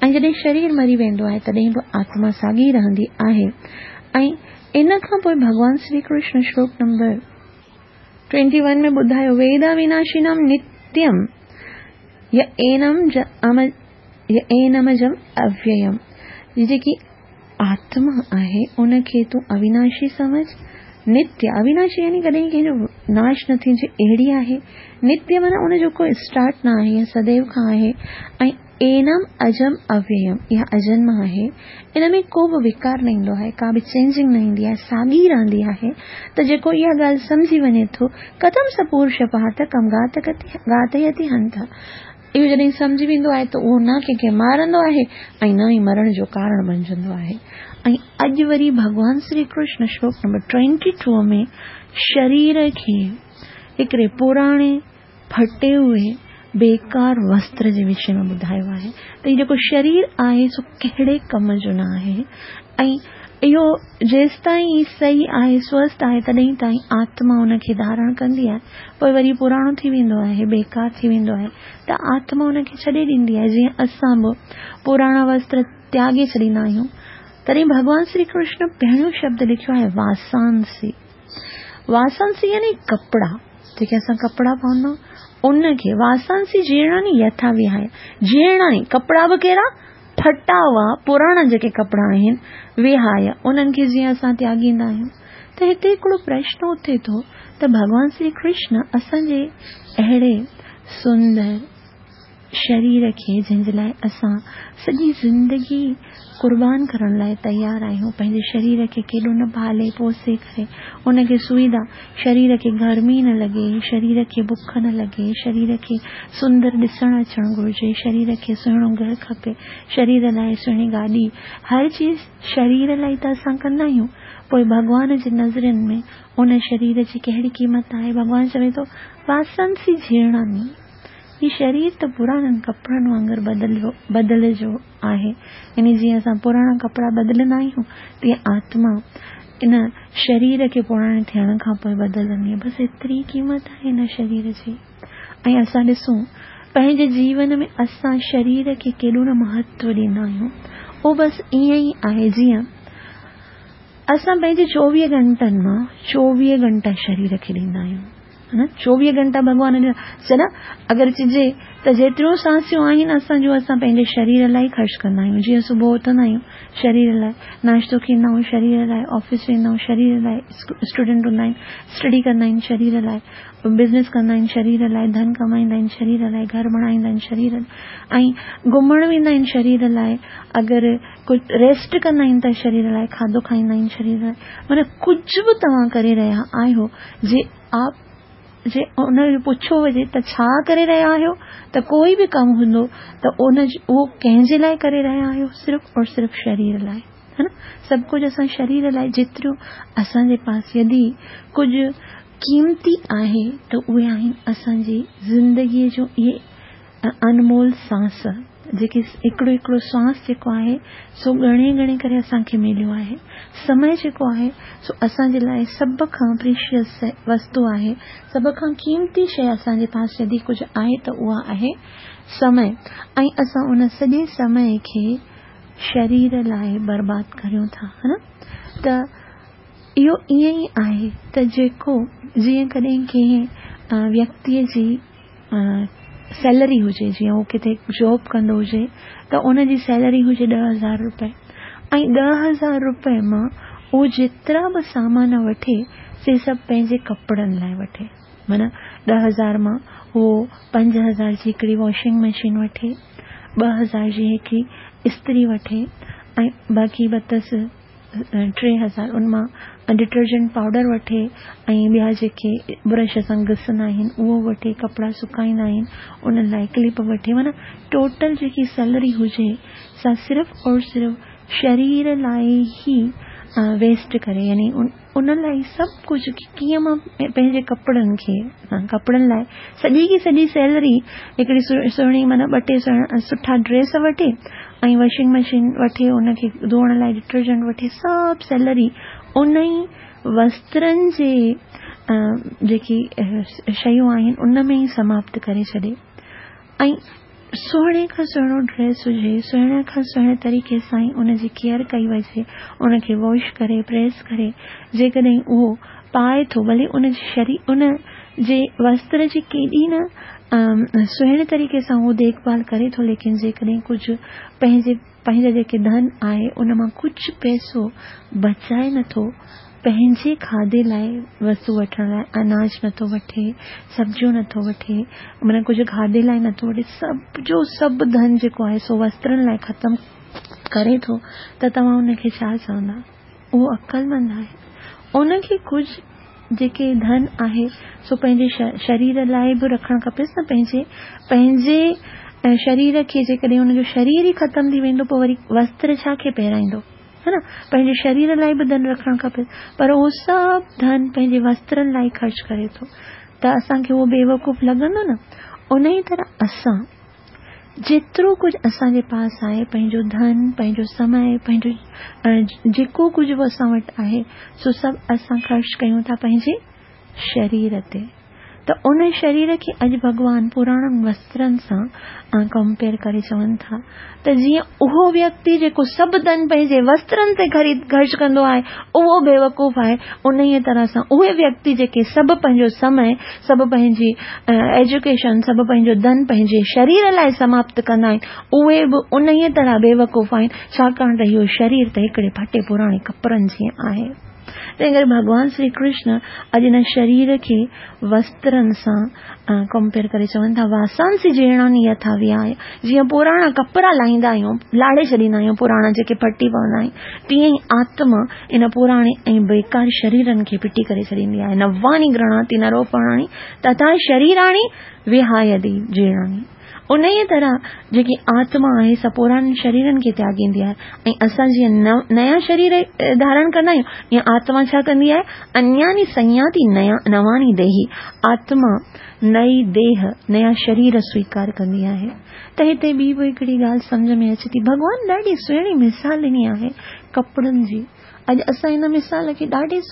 ۽ جڏهن شرير مري ويندو آهي تڏهن به آتما ساڳي رهندي آهي. ۽ ان کان پوءِ ڀڳوان شري ڪرشن شلوڪ نمبر ٽوئنٽي ون ۾ ٻڌايو ويدا وناشنم نتيم य एनम य एनमजम अव्ययम। ही जेकी आत्मा आहे उनखे तूं अविनाशी सम्झ, नित्य। अविनाशी यानी कॾहिं कंहिंजो नाश न थी अहिड़ी आहे। नित्य माना उनजो को स्टार्ट न आहे, सदैव खां आहे। ऐं एनम अजम अव्ययम, इहा अजन्म आहे, इन में को बि विकार न ईंदो आहे, का बि चेंजिंग न ईंदी आहे, साॻी रहंदी आहे। त जेको इहा ॻाल्हि सम्झी वञे थो, कथम स पुरुष पार्थ कम घातयति हंत, इहो जॾहिं सम्झी वेंदो आहे त उहो न कंहिंखे मारंदो आहे ऐं न ई मरण जो कारण बणिजंदो आहे। ऐं अॼु वरी भॻवान श्री कृष्ण श्लोक नंबर ट्वेंटी टू में शरीर खे हिकिड़े पुराणे फटे हुए बेकार वस्त्र जे विषय में ॿुधायो आहे त हीउ जेको शरीर आहे सो कहिड़े कम जो न आहे ऐं इहो जेसिताईं सही आहे, स्वस्थ आहे, तॾहिं ताईं आत्मा उनखे धारण कंदी आहे, पोइ वरी पुराणो थी वेंदो आहे, बेकार थी वेंदो आहे त आत्मा उनखे छॾे ॾींदी आहे। जीअं असां बि पुराणा वस्त्र त्यागे छॾींदा आहियूं। तॾहिं भॻवान श्री कृष्ण पहिरियों शब्द लिखियो आहे वासांसी। वासांसी यानी कपिड़ा, जेके असां कपिड़ा पवंदा उनखे वासांसी जीर्णानि यथा विहाय। जीर्णानि कपिड़ा बि कहिड़ा फटा हुआ पुराणा जेके कपिड़ा आहिनि विहाय, उन्हनि खे जीअं असां त्यागींदा आहियूं। त हिते हिकिड़ो प्रश्न उथे थो त भॻवान श्री कृष्ण असांजे अहिड़े सुंदर शरीर खे जंहिंजे लाइ असां सॼी ज़िंदगी कुर्बान करण लाइ तयारु आहियूं, पंहिंजे शरीर खे केॾो न पाले पोसे करे उनखे सुविधा, शरीर खे गर्मी न लॻे, शरीर खे बुख न लॻे, शरीर खे सुंदर ॾिसण अचणु घुरिजे, शरीर खे सुहिणो घर खपे, शरीर लाइ सुहिणी गाॾी, हर चीज़ शरीर लाइ त असां कंदा आहियूं। पोइ भॻवान जे नज़रनि में उन शरीर जी कहिड़ी क़ीमत आहे? भॻवान चवे थो वासंसी जीर्णानि, ही शरीर त पुराणनि कपिड़नि वांगुरु बदिलियो बदिलजो आहे। यानी जीअं असां पुराणा कपिड़ा बदिलंदा आहियूं तीअं आत्मा इन शरीर खे पुराणे थियण खां पोइ बदिलंदी आहे। बसि एतिरी क़ीमत आहे हिन शरीर जी। ऐं असां ॾिसूं पंहिंजे जीवन में असां शरीर खे केॾो न महत्व ॾींदा आहियूं। उहो बसि ईअं ई आहे जीअं असां पंहिंजे चोवीह घंटनि मां चोवीह घंटा शरीर खे ॾींदा आहियूं, है न? चोवीह घंटा भॻवान ॾिना चना। अगरि चइजे त जेतिरियूं सांसियूं आहिनि असांजूं, असां पंहिंजे शरीर लाइ ख़र्च कंदा आहियूं। जीअं सुबुह उथंदा आहियूं शरीर लाइ, नाश्तो खींदा आहियूं शरीर लाइ, ऑफिस वेंदा आहियूं शरीर लाइ, स्टूडेंट हूंदा आहिनि स्टडी कंदा आहिनि शरीर लाइ, बिज़नेस कंदा आहिनि शरीर लाइ, धन कमाईंदा आहिनि शरीर लाइ, घर बणाईंदा आहिनि शरीर, ऐं घुमण वेंदा आहिनि शरीर लाइ, अगरि कुझु रेस्ट कंदा आहिनि त शरीर लाइ, खाधो खाईंदा आहिनि शरीर लाइ। माना कुझु बि तव्हां करे रहिया आहियो, जे आप जे उन पुछो हुजे त छा करे रहिया आहियो, त कोई बि कमु हूंदो त उन उहो कंहिंजे लाइ करे रहिया आहियो? सिर्फ़ और सिर्फ़ शरीर लाइ, है न? सभु कुझु असां शरीर लाइ, जेतिरो असांजे पास यदि कुझु क़ीमती आहे त उहे आहिनि असांजी ज़िंदगीअ जो इहे अनमोल सांस, जेके हिकिड़ो हिकिड़ो श्वास जेको आहे सो ॻणे ॻणे करे असांखे मिलियो आहे। समय जेको आहे सो असांजे लाइ सभ खां प्रीशियस वस्तु आहे, सभ खां क़ीमती शइ असांजे पास यदि कुझु आहे त उहा आहे समय। ऐं असां उन सॼे समय खे शरीर लाइ बर्बाद करियूं था, है न? त इहो ईअं ई आहे त जेको जीअं कॾहिं कंहिं व्यक्तीअ जी सैलरी हुजे, जीअं उहो किथे जॉब कंदो हुजे त उनजी सैलरी हुजे ॾह हज़ार रुपए, ऐं ॾह हज़ार रुपए मां उहो जेतिरा बि सामान वठे से सभु पंहिंजे कपिड़नि लाइ वठे। माना ॾह हज़ार मां उहो पंज हज़ार जी हिकिड़ी वॉशिंग मशीन वठे, ॿ हज़ार जी हिकिड़ी इस्त्री वठे, ऐं बाक़ी बतसि टे हज़ार उन मां डिटर्जेंट पाउडर वठे, ऐं ॿिया जेके ब्रश सां घिसंदा आहिनि उहो वठे, कपिड़ा सुकाईंदा आहिनि उन्हनि लाइ क्लिप वठे। माना टोटल जेकी सैलरी हुजे सा सिर्फ़ और सिर्फ़ शरीर लाइ ई वेस्ट करे, यानी उन लाइ सभु कुझु कीअं मां पंहिंजे कपिड़नि खे, कपिड़नि लाइ सॼी की सॼी सैलरी हिकिड़ी सुहिणी माना ॿ टे सुठा ड्रेस वठे ऐं वॉशिंग मशीन वठे, उनखे धोअण लाइ डिटर्जेंट वठे, सभु सैलरी उन ई वस्त्रनि जे जेकी शयूं आहिनि उन में ई समाप्त करे छॾे। ऐं सुहिणे खां सुहिणो ड्रेस हुजे, सुहिणे खां सुहिणे तरीक़े सां ई उनजी केयर कई वञे, उनखे वॉश करे प्रेस करे, जेकॾहिं उहो पाए थो, भले उन शरीर उन जे वस्त्र जी केॾी न सुहिणे तरीक़े सां उहो देखभाल करे थो, लेकिन जेकॾहिं कुझु पंहिंजे पंहिंजा जेके धन आहे उन मां कुझु पैसो बचाए नथो, पंहिंजे खाधे लाइ वस्तु वठण लाइ अनाज नथो वठे, सब्जियूं नथो वठे, माना कुझु खाधे लाइ नथो वठे, सभु जो सभु धन जेको आहे सो वस्त्रनि लाइ ख़तमु करे थो, त तव्हां उनखे छा चवंदा? उहो अक़लमंद आहे। उनखे कुझु जेके धन आहे सो पंहिंजे शरीर लाइ बि रखणु खपेसि न, पंहिंजे पंहिंजे शरीर खे जेकॾहिं हुनजो शरीर ई ख़तमु थी वेंदो, पोइ वरी वस्त्र छा खे पहिराईंदो, है न? पंहिंजे शरीर लाइ बि धन रखणु खपे, पर उहो सभु धन पंहिंजे वस्त्रनि लाइ ख़र्च करे थो, त असांखे उहो बेवकूफ़ लॻंदो न। उन ई तरह असां जेतिरो कुझु असांजे पास आहे, पंहिंजो धन, पंहिंजो समय, पंहिंजो जेको कुझु बि असां वटि आहे, सो सभु असां ख़र्च कयूं था पंहिंजे शरीर ते। त उन शरीर खे अॼु भॻवान पुराणनि वस्त्रनि सां कंपेयर करे चवनि था त जीअं उहो व्यक्ति जेको सभु धन पंहिंजे वस्त्रनि ते ख़रीद ख़र्च कंदो आहे उहो बेवकूफ़ आहे, उन ई तरह सां उहे व्यक्ति जेके सभु पंहिंजो समय, सभु पंहिंजी एजुकेशन, सभु पंहिंजो धन पंहिंजे शरीर लाइ समाप्त कंदा आहिनि, उहे बि उन ई तरह बेवकूफ़ आहिनि, छाकाणि त इहो शरीर त हिकिड़े फटे पुराणे कपिड़नि जीअं आहे। तंहिं करे भॻवान श्री कृष्ण अॼु हिन शरीर खे वस्त्रनि सां कंपेयर करे चवनि था, वासांसि जीर्णानि यथा विहाय, जीअं पुराणा कपिड़ा लाहींदा आहियूं, लाड़े छॾींदा आहियूं पुराणा जेके फटी पवंदा आहिनि, तीअं ई आत्मा इन पुराणे ऐं बेकार शरीरनि खे फिटी करे छॾींदी आहे। नवानि गृह्णाति नरोपणानि तथा शरीराणि विहायति जीर्णानि। उन ई तरह जेकी आत्मा आहे सा पुराणनि शरीरनि खे त्यागींदी आहे, ऐं असां जीअं नया शरीर धारण कंदा आहियूं, ईअं आत्मा छा कंदी आहे? अन्यानि संयाति नया नवानि देही, आत्मा नई देह, नया शरीर स्वीकार कंदी आहे। त हिते ॿी बि हिकिड़ी ॻाल्हि सम्झ में अचे थी, भॻवान ॾाढी सुहिणी मिसाल ॾिनी आहे कपिड़नि जी। अॼु असां हिन मिसाल खे ॾाढे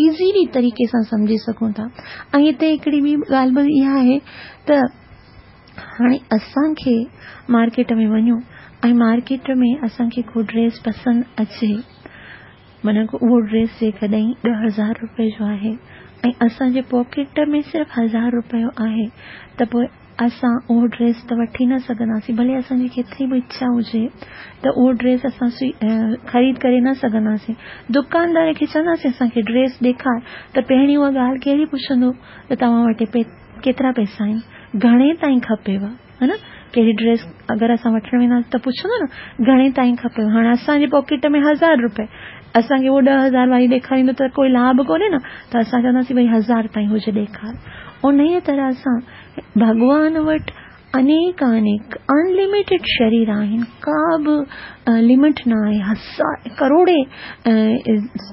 ईज़ीली तरीक़े सां सम्झी सघूं था। ऐं हिते हिकिड़ी ॿी ॻाल्हि बि इहा आहे त हाणे असांखे मार्केट में वञूं ऐं मार्केट में असांखे को ड्रेस पसंदि अचे, माना उहो ड्रेस जेकॾहिं ॾह हज़ार रुपए जो आहे ऐं असांजे पॉकेट में सिर्फ़ु हज़ार रुपयो आहे, त पोइ असां उहो ड्रेस त वठी न सघंदासीं, भले असांजी केतिरी बि इच्छा हुजे त उहो ड्रेस असां ख़रीद करे न सघंदासीं। दुकानदार खे चवंदासीं असांखे ड्रेस ॾेखार, त पहिरीं उहा ॻाल्हि कहिड़ी पुछंदो त तव्हां वटि केतिरा पैसा आहिनि, घणे ताईं खपेव, है न? कहिड़ी ड्रेस अगरि असां वठणु वेंदासीं त पुछंदो न घणे ताईं खपेव। हाणे असांजे पॉकेट में हज़ार रुपए, असांखे उहो ॾह हज़ार वारी ॾेखारींदो त कोई लाभ कोन्हे न, त असां चवंदासीं भई हज़ार ताईं हुजे ॾेखार। उन ई तरह सां भॻवान वटि अनेक अनेक अनलिमिटेड शरीर आहिनि, का बि लिमिट न आहे, हज़ार करोड़े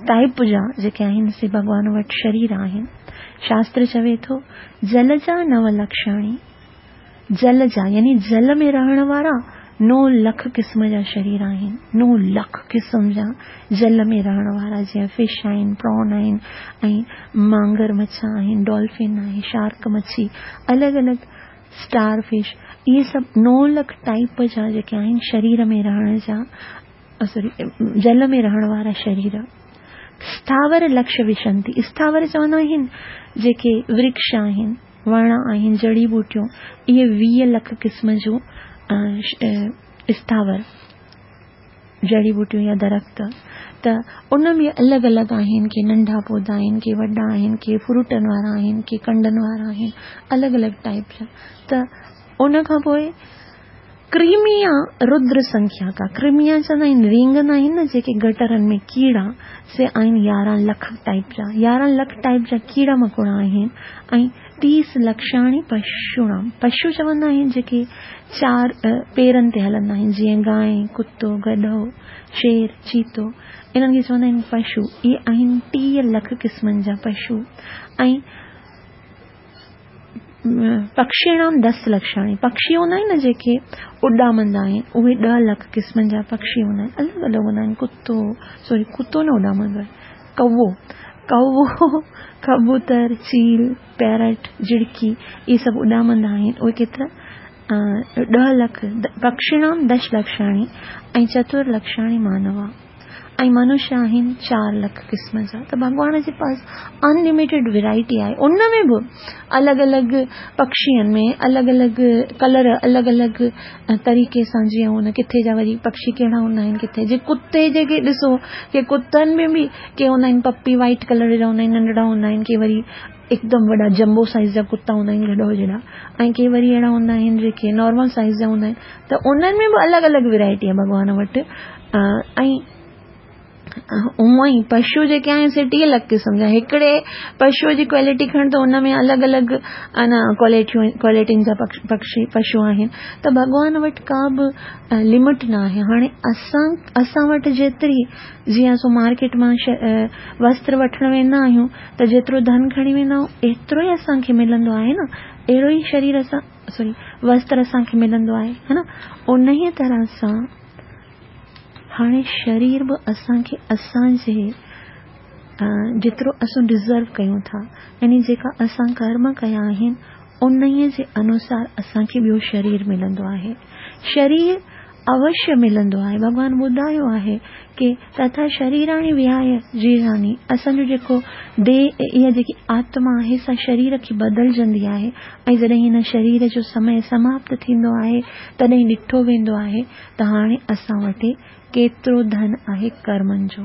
टाइप जा जेके आहिनि से भॻवान वटि शरीर आहिनि। शास्त्र चवे थो जल जा नव लक्षाणी, जल जा यानी जल में रहण वारा नौ लख क़िस्म जा शरीर आहिनि, नौ लख क़िस्म जा जल में रहण वारा, जीअं फिश आहिनि, प्रॉन आहिनि, ऐं मांगर मڇ आहिनि, डॉल्फिन आहे, शार्क मच्छी, अलॻि अलॻि स्टार फिश, इहे सभु नौ लख टाइप जा जेके आहिनि शरीर में रहण जा, सॉरी जल में रहण वारा शरीर। स्थावर लक्ष्य विशंति, स्थावर चवंदा आहिनि जेके वृक्ष आहिनि, वण आहिनि, जड़ी बूटियूं, इहे वीह लख क़िस्म जूं स्थावर जड़ी बूटियूं या दरख़्त, त उन में अलॻि अलॻि आहिनि, के नंढा पौधा आहिनि, के वॾा आहिनि, के फ्रूटनि वारा आहिनि, के कंडनि वारा आहिनि, अलॻि अलॻि टाइप जा। त उन खां पोइ क्रीमिया रुद्र संख्या का, क्रीमिया चवंदा आहिनि रींगंदा आहिनि न जेके गटरनि में कीड़ा, से आहिनि यारहं लख टाइप जा, यारहं लख टाइप जा कीड़ा मकोड़ा आहिनि। ऐं तीस लक्षाणी पशुणाम, पशु चवंदा आहिनि जेके चार पेरनि ते हलंदा आहिनि, जीअं गाय, कुतो, गॾो, शेर, चीतो, इन्हनि खे चवंदा आहिनि पशु। इहे आहिनि टीह लख क़िस्मनि जा पशु। ऐं पक्षीणाम दस लक्षाणी, पक्षी हूंदा आहिनि न जेके उॾामंदा आहिनि, उहे ॾह लख क़िस्मनि जा पक्षी हूंदा आहिनि, अलॻि अलॻि हूंदा आहिनि। कुतो, सॉरी कुतो न उॾामंदो आहे, कौवो, कौवो, कबूतर, चील, पैरट, झिड़की, इहे सभु उॾामंदा आहिनि। उहे केतिरा ॾह लख, पक्षीणाम दश लक्षाणी ऐं चतुर लक्षाणी मानवा। ۽ منشيه آهن چار لک قسم جا. ته ڀڳوان جي پاس انلميٽيڊ ورائٽي آهي. ان ۾ به الڳ الڳ پکين ۾ الڳ الڳ ڪلر، الڳ الڳ طريقي سان جيئن هن ڪٿي جا وري پکي ڪهڙا هوندا آهن، ڪٿي جي ڪتي جيڪي ڏسو ڪي ڪتن ۾ به ڪي هوندا آهن پپي وائٽ ڪلر جا هوندا آهن، ننڍڙا هوندا آهن، ڪي وري هڪدم وڏا جمبو سائيز جا ڪتا هوندا آهن گڏو جهڙا، ۽ ڪي وري اهڙا هوندا آهن جيڪي نارمل سائيز جا هوندا آهن. ته انهن ۾ به الڳ الڳ ورائٽي آهي ڀڳوان وٽ. ۽ اونئن ئي پشو جيڪي آهن سي ٽيهه لک قسم جا. هڪڙي پشوءَ جي ڪوالٽي کڻ ته ان ۾ الڳ الڳ انا ڪوالٽيون ڪوالٽين جا پکي پشو آهن. ته ڀڳوان وٽ ڪا به لمٽ نه آهي. هاڻي اسان اسان وٽ جيتري جيئن اسان مارڪيٽ مان وستر وٺڻ ويندا آهيون ته جيترو ڌن کڻي ويندا آهيون ايترو ئي اسان کي ملندو آهي نه، اهڙو ئي شرير اسان سوري وستر اسان کي ملندو آهي، ها نه. ان ئي طرح سان هاڻي شرير به اسان کي اسان جي جيترو اسان ڊزرو ڪيون ٿا، يعني جيڪا اسان ڪرم ڪيا آهن ان ئي جي انوسار اسان کي ٻيو شرير ملندو آهي. شرير اوشيه ملندو آهي. ڀڳوان ٻڌايو آهي ڪه تٿا شريراڻي وهاي جيراني، اسان جو جيڪو ديهه اها جيڪي آتما آهي سا شرير کي بدلجندي آهي ۽ جڏهن هن شرير جو سمي سماپت ٿيندو آهي تڏهن ڏٺو ويندو آهي ته هاڻي اسان وٽ ڪيترو ڌن آهي ڪرمن جو،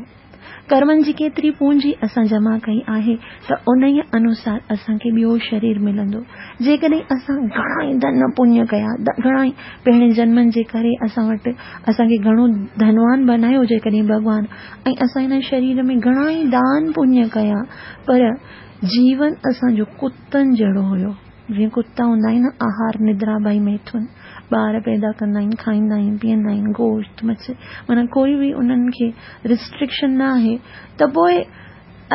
ڪرمن جي ڪيتري پونجي اسان جمع ڪئي آهي ته ان ئي انوسار اسان کي ٻيو شرير ملندو. جيڪڏهن اسان گهڻا ئي ڌن پڃ ڪيا، گهڻا ئي پهرين جنمن جي ڪري اسان وٽ اسان کي گهڻو ڌنوان بنايو جيڪڏهن ڀڳوان، ۽ اسان هن شرير ۾ گهڻا ئي دان پڃ ڪيا، پر جيون اسان جو ڪتن جهڙو هيو. جيئن ڪتا هوندا آهن آهار ندرا ڀائي ميٿن، ٻار پيدا ڪندا آهن، کائيندا آهن، پيئندا آهن، گوشت مڇ، معنيٰ ڪوئي به انهن کي ريسٽرڪشن نه آهي، ته پوءِ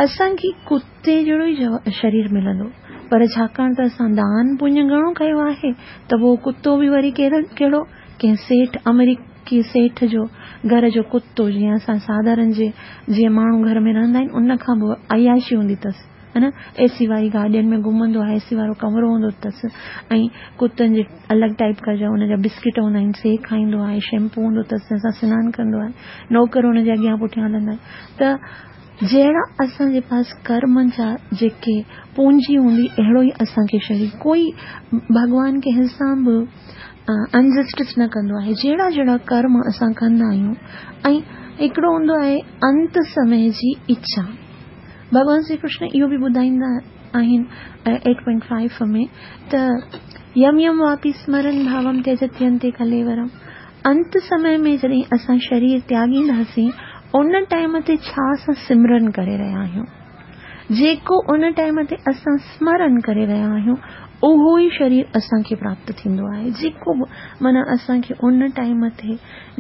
اسان کي ڪتي جهڙو ئي شرير ملندو. پر ڇاڪاڻ ته اسان دان پڃ گهڻو ڪيو آهي ته پوءِ ڪتو به وري ڪهڙو ڪهڙو ڪنهن سيٺ آمريڪي سيٺ جو گهر جو ڪتو، جيئن اسان ساڌارڻ جي جيئن ماڻهو گهر ۾ رهندا آهن ان کان به عياشي هوندي اٿس، ها نه. اي سي واري گاڏين ۾ گهمندو آهي، اي سي وارو ڪمرو هوندو اٿس، ۽ ڪتن جي الڳ ٽائيپ جا ان جا بسڪيٽ هوندا آهن سي کائيندو آهي، شيمپو هوندو اٿس جنهن سان سنان ڪندو آهي، نوڪر هن جي اڳيان پٺيان هلندا آهن. ته جهڙا اسان جي پاس ڪرمن جا جيڪي پونجي هوندي اهڙو ئي اسان کي شرير. ڪوئي ڀڳوان ڪنهن سان به انجسٽس نه ڪندو آهي. جهڙا جهڙا ڪرم اسان ڪندا آهيون، ۽ هڪڙو هوندو آهي انت سمي جي اڇا. ڀڳوان شري ڪرشن اهو به ٻڌائيندا آهن ايٽ پوائنٽ فائيو ۾ ته يم يم واپي سمرن ڀاوم تيجتينتي ڪليورم. انت سمي ۾ جڏهن اسان شرير تياڳينداسين ان ٽائيم تي ڇا اسان سمرن ڪري رهيا آهيون، جيڪو ان ٽائيم تي اسان سمرن ڪري رهيا آهيون اهو ئي شرير اسان کي پراپت ٿيندو آهي. جيڪو به معنيٰ اسان کي ان ٽائيم تي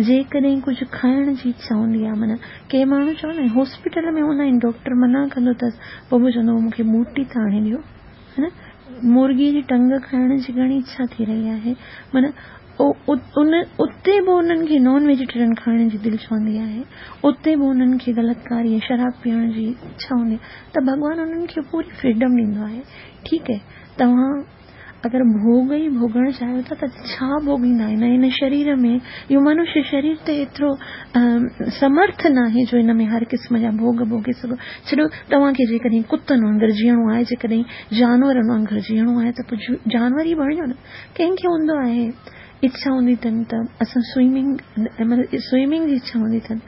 جيڪڏهن ڪجهه کائڻ جي اڇا هوندي آهي، معنيٰ ڪي ماڻهو چوندا آهن هاسپيٽل ۾ هوندا آهن، ڊاڪٽر منع ڪندو اٿس پوءِ به چوندو مون کي ٻوٽي ته آڻي ڏيو، ها نه. مرغي جي ٽنگ کائڻ جي گهڻي اڇا ٿي رهي آهي، معنيٰ ان اتي به انهن کي نان ويجيٽيرين کائڻ جي دل چوندي آهي، اتي به انهن کي غلط ڪاري شراب پيئڻ جي اڇا هوندي آهي. ته ڀڳوان انهن کي پوري فريڊم ڏيندو آهي. ٺيڪ آهي، توهان اگر ڀوڳ ئي ڀوڳڻ چاهيو ٿا ته ڇا ڀوڳيندا آهن؟ هن شرير ۾ اهو منشيه شرير ته ايترو سمرٿ نه آهي جو هن ۾ هر قسم جا ڀوڳ ڀوڳي سگهو. ڇڏو، توهان کي جيڪڏهن ڪتن وانگر جيئڻو آهي، جيڪڏهن جانورن وانگر جيئڻو آهي ته پوءِ جانور ئي بڻجو نه. ڪنهن کي هوندو آهي اڇا هوندي اٿن ته اسان سوئمنگ مطلب سوئمنگ جي اڇا هوندي اٿن،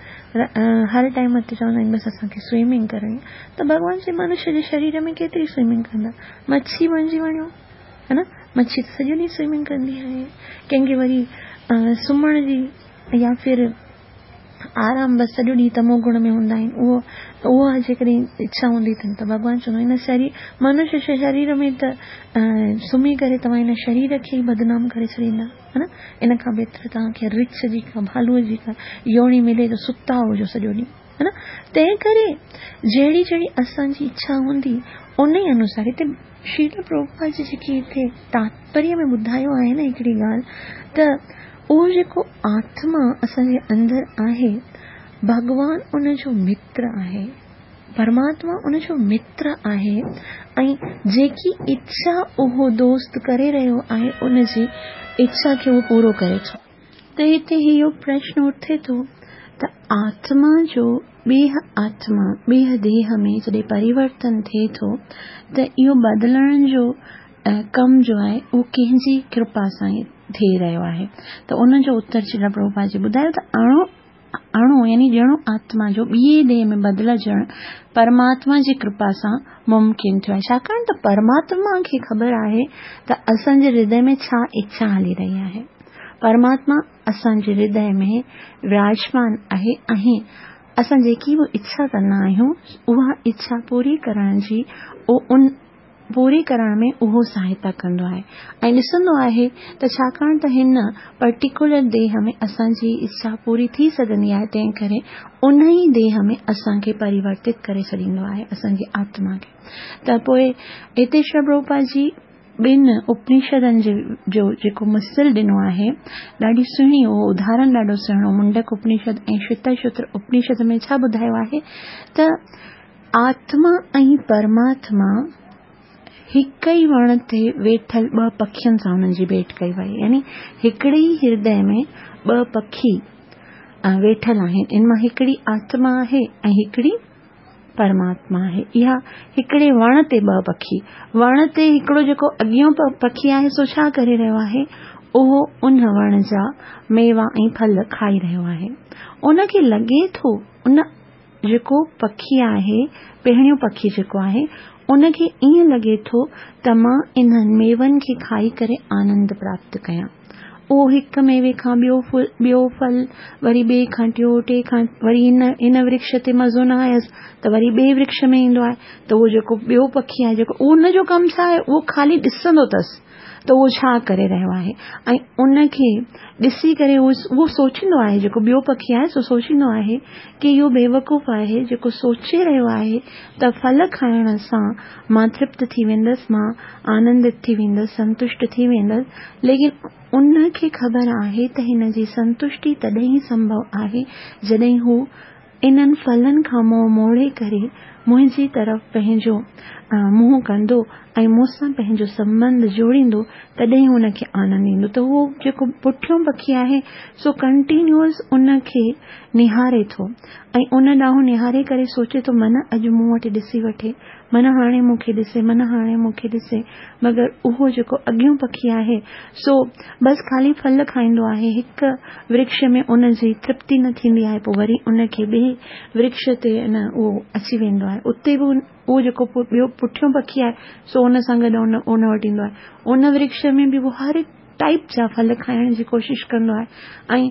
هر ٽائيم تي چوندا آهن بس اسان کي سوئمنگ ڪرڻي. ته ڀڳوان جي منشيه جي شرير ۾ ڪيتري سوئمنگ ڪندا؟ مڇي بڻجي وڃو، ها نه. مڇي ته سڄو ڏينهن سوئمنگ ڪندي آهي. ڪنهن کي وري سمهڻ جي يا ڦر آرام، بس سڄو ڏينهن تمو گڻ ۾ هوندا آهن، اهو اها جيڪڏهن اڇا هوندي اٿن ته ڀڳوان چوندو هن شرير منشيه شرير ۾ ته سمهي ڪري توهان هن شرير کي ئي بدنام ڪري ڇڏيندا، ها نه. ان کان بهتر توهان کي رڇ جي ڪا ڀالوءَ جي ڪا يوڻي ملي ته ستا هجو سڄو ڏينهن، ها نه. تنهن ڪري جهڙي جهڙي اسان جي اڇا هوندي ان ئي انوسار. هتي شريل پرڀوپاد جي جيڪي هتي تاتپريه ۾ ٻڌايو آهي نه هڪڙي ڳالهه، ته اهو جيڪو آتما اسان جي اندر آهي، ڀڳوان ان جو متر آهي، پرماتما ان جو متر آهي، ۽ جيڪي اڇا اهو دوست ڪري رهيو آهي ان جي اڇا کي اهو پورو ڪري ٿو. ته هتي اهو پرشن اٿي ٿو ته آتما جو ٻي آتما، ٻي ديهه ۾ جڏهن پريورتن ٿئي ٿو ته اهو بدلڻ جو ڪم جو آهي اهو ڪنهن جي ڪرپا سان ئي ٿي رهيو آهي. ته ان جو اتر شريل پرڀوپاد جي ٻڌايو ته اڻو اڻو يعني ڄڻو آتما جو ٻئي ديهه ۾ بدلجڻ پرماتما جي ڪرپا سان ممڪن ٿيو آهي، ڇاڪاڻ ته پرماتما کي خبر آهي ته اسان جي هردي ۾ ڇا اڇا هلي رهي آهي. پرماتما اسان جي هردي ۾ وراجمان آهي ۽ اسان جيڪي به اڇا ڪندا آهيون اها اڇا پوري ڪرڻ جي ان پوري ڪرڻ ۾ اهو سهائتا ڪندو آهي ۽ ڏسندو آهي ته ڇاڪاڻ ته هن پرٽيڪيولر ديهه ۾ اسان جي اڇا پوري ٿي سگهندي آهي، تنهن ڪري ان ئي ديهه ۾ اسان کي پريورتت ڪري ڇڏيندو آهي اسان جي آتما کي. ته پوءِ هتي شريل پرڀوپاد جي ٻن اپنشدن جي جو جيڪو مثل ڏنو آهي ڏاڍي سهڻي، اهو اداهرڻ ڏاڍو سهڻو منڊڪ اپنشد ۽ شوتا اپنشد ۾ ڇا ٻڌايو آهي ته آتما ۽ پرماتما هڪ ئي وڻ تي ويٺل ٻه پکين سان هنن جي ڀيٽ ڪئي وئي، يعني هڪڙي ئي هردي ۾ ٻه پکي ويٺل آهن، ان مان هڪڙي آتما آهي ۽ هڪڙي پرماتما آهي. اها هڪڙي وڻ تي ٻه پکي، وڻ تي هڪڙو جيڪو اڳيون پکي آهي سو ڇا ڪري رهيو آهي، اهو ان وڻ جا ميوا ۽ ڦل کائي رهيو آهي. ان کي لڳي ٿو ان جيڪو پکي آهي، پهريون پکي جيڪو آهي، ان کي ائين لڳي ٿو ته مان انهن ميون کي کائي ڪري آنند پراپت ڪيان. اهو هڪ ميوي کان ٻيو ڦل، ٻيو ڦل، وري ٻئي کان ٽيون، ٽي کان وري هن هن ورڪش تي مزو نه آيس ته وري ٻئي ورڪش ۾ ايندو آهي. ته اهو جيڪو ٻيو پکي آهي جيڪو ان جو ڪم ڇا آهي، اهو خالي ڏسندو اٿس ته اهو ڇا ڪري رهيو آهي ۽ ان کي ڏسي ڪري اهو سوچيندو آهي، جيڪو ٻيو پکي آهي سو سوچيندو آهي ڪه اهو بيوقوف آهي جيڪو سوچي رهيو آهي ته ڦل کائڻ سان مان ترپت ٿي ويندس، مان آنندت ٿي ويندس، سنتشٽ ٿي ويندس، ليڪن ان کي خبر آهي ته هن جي سنتشٽي تڏهن ئي سنڀو آهي جڏهن هو انهن ڦلن کان منهن موڙي ڪري منهنجي طرف پنهنجو منهن ڪندو ۽ مون سان پنهنجو سنٻنڌ جوڙيندو، تڏهن هن کي آنند ايندو. ته اهو جيڪو پٺيون پکي آهي سو ڪنٽينيوئس ان کي نهاري ٿو ۽ ان ڏانهن نهاري ڪري سوچي ٿو من اڄ مون وٽ ڏسي وٺي، من هاڻي مون کي ڏسي، من هاڻي مون کي ڏسي. مگر اهو جيڪو اڳيون پکي آهي سو بس خالي ڦل کائيندو آهي، هڪ ورڪش ۾ ان جي ترپتي نه ٿيندي آهي، پوءِ وري ان کي ٻئي ورڪش تي نه اهو اچي ويندو آهي، اتي به اهو جيڪو ٻيو پٺيون پکي آهي سو ان سان گڏ ان ان وٽ ايندو آهي. ان ورڪش ۾ به اهو هر ٽائيپ جا ڦل کائڻ جي ڪوشش ڪندو آهي ۽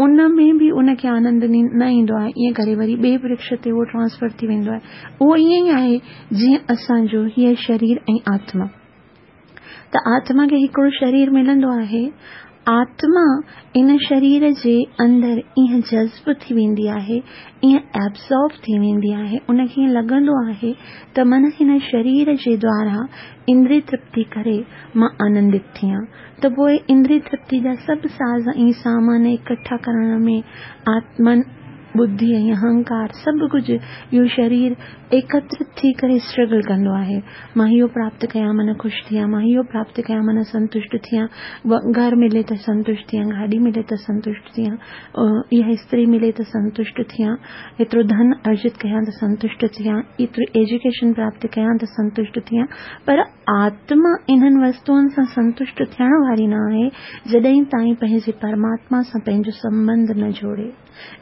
ان ۾ به ان کي آنند نه ايندو آهي. ائين ڪري وري ٻئي ورڪش تي اهو ٽرانسفر ٿي ويندو آهي. اهو ائين ئي آهي جيئن اسان جو هيءَ شرير ۽ آتما. ته آتما کي هڪڙو شرير ملندو آهي، آتما ان شرير جي اندر ائين جذب ٿي ويندي آهي، ائين ايبزارب ٿي ويندي آهي، ان کي ائين لڳندو آهي ته من هن شرير جي دوارا اندري ترپتي ڪري مان آنندت ٿيان. ته پوءِ اندري ترپتي جا سڀ ساز ۽ سامان اڪٺا ڪرڻ ۾ آتمن ٻڌي ۽ اهنڪار سڀ ڪجهه اهو شرير ايڪترت ٿي ڪري اسٽرگل ڪندو آهي. مان اهو پراپت ڪيان من خوش ٿيان، مان اهو پراپت ڪيان من سنتشٽ ٿيان، گهر ملي ته سنتشٽ ٿيان، گاڏي ملي ته سنتشٽ ٿيان، اها استري ملي ته سنتشٽ ٿيان، ايترو ڌن ارجت ڪيان ته سنتشٽ ٿيان، ايتري ايجوڪيشن پراپت ڪيان ته سنتشٽ ٿيان. پر آتما انهن وستوئن سان سنتشٽ ٿيڻ واري نه آهي جڏهن تائين پنهنجي پرماتما سان پنهنجو سنٻنڌ نه جوڙي.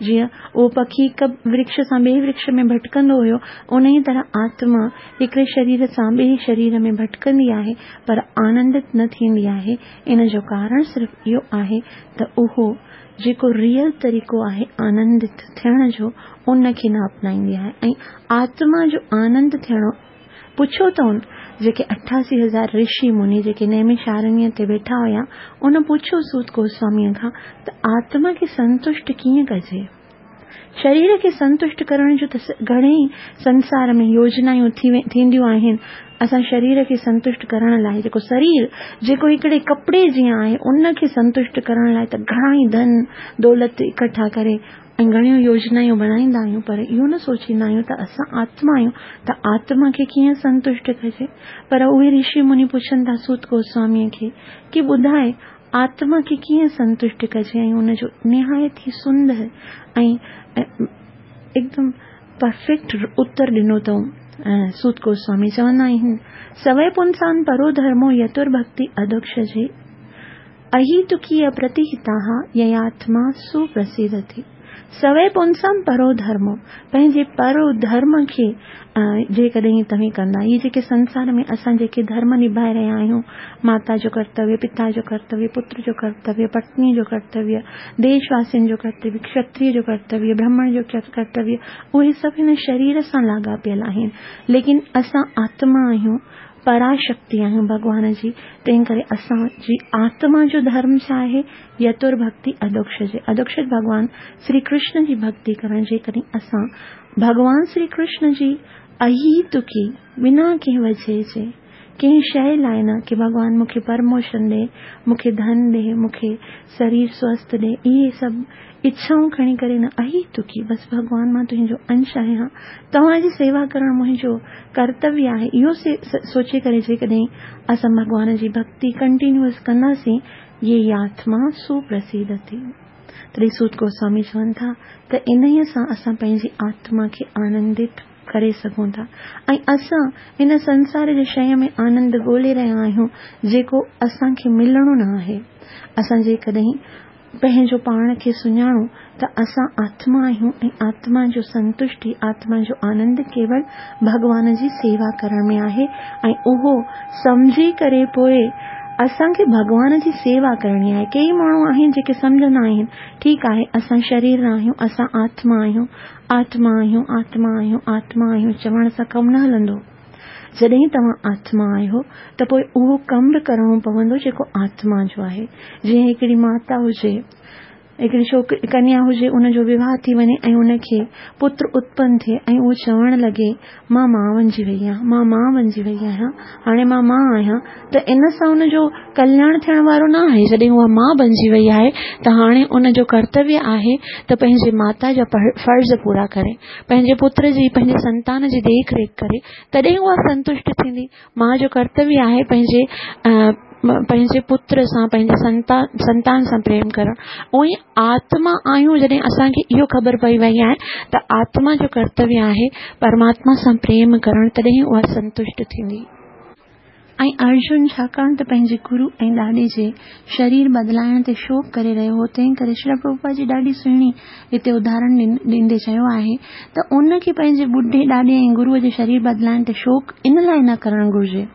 جيئن اهو پکي هڪ ورڪش سان ٻئي ورڪش ۾ ڀٽڪندو هيو، ان ئي طرح آتما هڪڙي شرير سان ٻئي شرير ۾ ڀٽڪندي آهي پر آنندت نه ٿيندي آهي. ان جو ڪارڻ صرف اهو آهي ته اهو جيڪو ريئل طريقو آهي آنندت ٿيڻ جو ان کي نه اپنائيندي آهي. ۽ آتما جو آنند ٿيڻو پڇو ته جيڪي اٺاسي هزار رشي مني جيڪي نيمشارڻيه تي ويٺا هئا، ان پڇيو سوت گوسواميءَ کان ته آتما کي سنتشٽ ڪيئن ڪجي؟ شرير کي سنتشٽ ڪرڻ جو ته گهڻي ئي سنسار ۾ يوجنايون ٿينديون آهن. اسان شرير کي سنتشٽ ڪرڻ لاءِ جيڪو شرير جيڪو هڪڙي ڪپڙي جيئن آهي ان کي سنتشٽ ڪرڻ لاءِ ته گهڻا ئي ڌن دولت اڪٺا ڪري ۽ گهڻيون يوجنايون بڻائيندا آهيون، پر اهو نه سوچيندا آهيون ته اسان آتما آهيون ته آتما کي ڪيئن سنتشٽ ڪجي. پر اهي رشي مني پڇن ٿا سوت گوسواميءَ کي ڪه ٻڌائي آتما کي ڪيئن سنتشٽ ڪجي؟ ۽ ان جو نهايت ئي سندر ۽ هڪدم परफेक्ट उत्तर ॾिनो अथऊं। सूत गोस्वामी चवंदा आहिनि, सवै पुंसान परो धर्मो यतुर्भक्ति अधोक्षजे अहितुकी अप्रतिहिताः ययात्मा सुप्रसिदति। सवै पुंसां परो धर्मो, पंहिंजे परो धर्म खे जेकॾहिं तव्हीं कंदा, इहे जेके संसार में असां जेके धर्म निभाए रहिया आहियूं, माता जो कर्तव्य, पिता जो कर्तव्य, पुत्र जो कर्तव्य, पत्नी जो कर्तव्य, देशवासियुनि जो कर्तव्य, क्षत्रिय जो कर्तव्य, ब्राह्मण जो कर्तव्य, उहे सभु हिन शरीर सां लाॻापियल आहिनि। लेकिन असां आत्मा आहियूं, पराशक्ति आहियूं भॻवान जी, तंहिं करे असांजी आत्मा जो धर्म छा आहे? यतुर्भक्ति अधोक्षजे। अधोक्षज भॻवान श्री कृष्ण जी भक्ति करणु। जेकॾहिं असां भॻवान श्री कृष्ण जी अहितुकी बिना कंहिं वजह जे, कंहिं शइ लाइ न की भॻवान मूंखे प्रमोशन ॾे, मूंखे धन ॾे, मूंखे शरीर स्वस्थ ॾे, इहे सभु इच्छाऊं खणी करे न, अहितुकी बसि भॻवान मां तुंहिंजो अंश आहियां, तव्हांजी सेवा करणु मुंहिंजो कर्तव्य आहे, इहो सोचे करे जेकॾहिं असां भॻवान जी भक्ति कंटिन्यूअस कंदासीं, ये आत्मा सुप्रसिदति। तॾहिं सूत गोस्वामी चवनि था त इन्हीअ सां असां पंहिंजी आत्मा खे आनंदित करे सघूं था ऐं असां हिन संसार जे शइ में आनंद ॻोल्हे रहिया आहियूं जेको असांखे मिलणो न आहे। असां जेकॾहिं पंहिंजो पाण खे सुञाणूं त असां आत्मा आहियूं ऐं आत्मा जो संतुष्टि, आत्मा जो आनंद केवल भॻवान जी सेवा करण में आहे ऐं उहो सम्झी करे पोइ असांखे भॻवान जी सेवा करणी आहे। केई माण्हू आहिनि जेके सम्झंदा आहिनि, ठीकु आहे असां शरीर न आहियूं, असां आत्मा आहियूं, आत्मा आहियूं, आत्मा आहियूं, आत्मा आहियूं चवण सां कमु न हलंदो। जॾहिं तव्हां आत्मा आहियो त पोइ उहो कमु बि करिणो पवंदो जेको आत्मा जो आहे। जीअं हिकिड़ी माता हुजे, हिकिड़ी छोकिरी कन्या हुजे, उनजो विवाह थी वञे ऐं उनखे पुत्र उत्पन्न थिए ऐं उहो चवणु लॻे मां मां वणिजी वई आहियां, मां मां वणिजी वई आहियां, हाणे मां मां आहियां, त इन सां उनजो कल्याण थियण वारो न आहे। जॾहिं उहा मां बणिजी वई आहे त हाणे उनजो कर्तव्य आहे त पंहिंजे माता जा फ़र्ज़ पूरा करे, पंहिंजे पुत्र जी, पंहिंजे संतान जी देख रेख करे, तॾहिं उहा संतुष्ट थींदी। मां जो कर्तव्य आहे पंहिंजे पंहिंजे पुत्र सां, पंहिंजे संतान संतान सां प्रेम करणु। उअं ई आत्मा आहियूं, जॾहिं असांखे इहो ख़बर पई वई आहे त आत्मा जो कर्तव्य आहे परमात्मा सां प्रेम करणु, तॾहिं उहा संतुष्ट थींदी। ऐं अर्जुन छाकाणि त पंहिंजे गुरू ऐं ॾाॾे जे शरीर बदिलाइण ते शोक करे रहियो हो, तंहिं करे श्री प्रभुपाद जी ॾाढी सुहिणी हिते उदाहरण ॾींदे चयो आहे त उनखे पंहिंजे ॿुढे ॾाॾे ऐं गुरूअ जे शरीर बदिलाइण ते शोक इन लाइ न करणु घुरिजे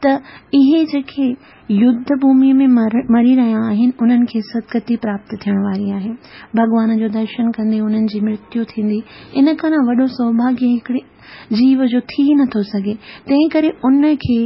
त इहे जेके युद्ध भूमि में मरी रहिया आहिनि उन्हनि खे सदगति प्राप्त थियण वारी आहे, भॻवान जो दर्शन कंदे उन्हनि जी मृत्यु थींदी। इन खां न वॾो सौभाग्य हिकिड़े जीव जो थी नथो सघे। तंहिं करे उनखे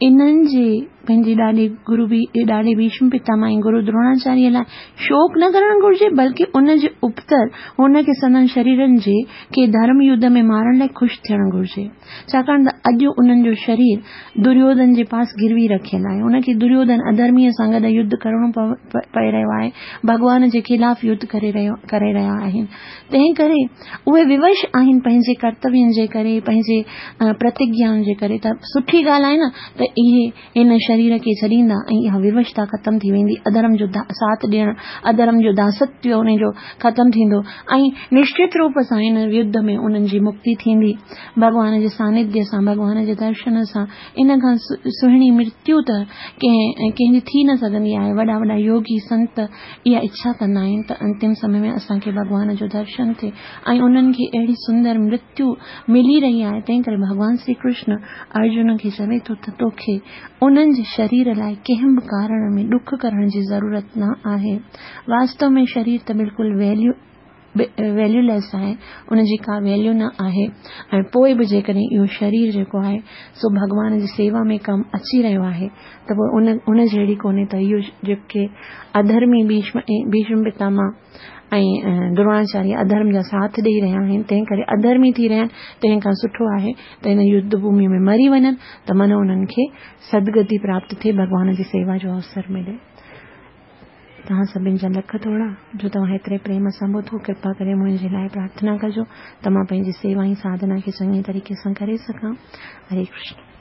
इन्हनि जे पंहिंजे ॾाॾे गुरू ॾाॾे भीष्म पितामह ऐं गुरू द्रोणाचार्य लाइ शोक न करणु घुरिजे, बल्कि उन जे उपतर हुनखे संदन शरीरनि जे खे धर्म युद्ध में मारण लाइ ख़ुशि थियणु घुरिजे, छाकाणि त अॼु उन्हनि जो शरीर दुर्योधन जे पास गिरवी रखियलु आहे। उनखे दुर्योधन अधर्मीअ सां गॾु युद्ध करिणो पए रहियो आहे, भॻवान जे ख़िलाफ़ युद्ध करे रहियो करे रहिया आहिनि। तंहिं करे उहे विवश आहिनि पंहिंजे कर्तव्यनि जे करे, पंहिंजे प्रतिज्ञाउनि जे करे। त सुठी ॻाल्हि आहे न त इहे हिन शरीर खे छॾींदा ऐं इहा विवशता ख़तमु थी वेंदी, अधर्म जो साथ ॾियणु, अधर्म जो दासत्व उन जो ख़तमु थींदो ऐं निश्चित रूप सां हिन युद्ध में उन्हनि जी मुक्ति थींदी। भॻवान जे सानिध्य सां, भॻवान जे दर्शन सां इन खां सुहिणी मृत्यु त कंहिं कंहिंजी थी न सघंदी आहे। वॾा वॾा योगी संत इहा इच्छा कंदा आहिनि त अंतिम समय में असांखे भॻवान जो दर्शन थिए ऐं उन्हनि खे अहिड़ी सुंदर मृत्यु मिली रही आहे। तंहिं करे भॻवान श्री कृष्ण अर्जुन खे चवे थो त तोखे उन्हनि जे शरीर लाइ कंहिं बि कारण में ॾुख करण जी ज़रूरत न आहे। वास्तव में शरीर त बिल्कुलु वैल्यू वैल्यूलेस आहे, उनजी का वैल्यू न आहे। ऐं पोइ बि जेकॾहिं इहो शरीर जेको आहे सो भॻवान जी सेवा में कमु अची रहियो आहे त पोइ उन उन जहिड़ी कोन्हे त इहो जेके अधर्मी भीष्म भीष्म पितामह ऐं द्रोणाचार्य अधर्म जा साथ ॾेई रहिया आहिनि, तंहिं करे अधर्मी थी रहिया आहिनि। तंहिं खां सुठो आहे त हिन युद्ध भूमि में मरी वञनि त मन उन्हनि खे सदगति प्राप्त थिए, भॻवान जी सेवा जो अवसर मिले। तव्हां सभिनी जा लख थोरा जो तव्हां हेतिरे प्रेम सां ॿुधो। कृपा करे मुंहिंजे लाइ प्रार्थना कजो त मां पंहिंजी सेवा ऐं साधना खे चङे तरीक़े सां करे सघां। हरे कृष्ण।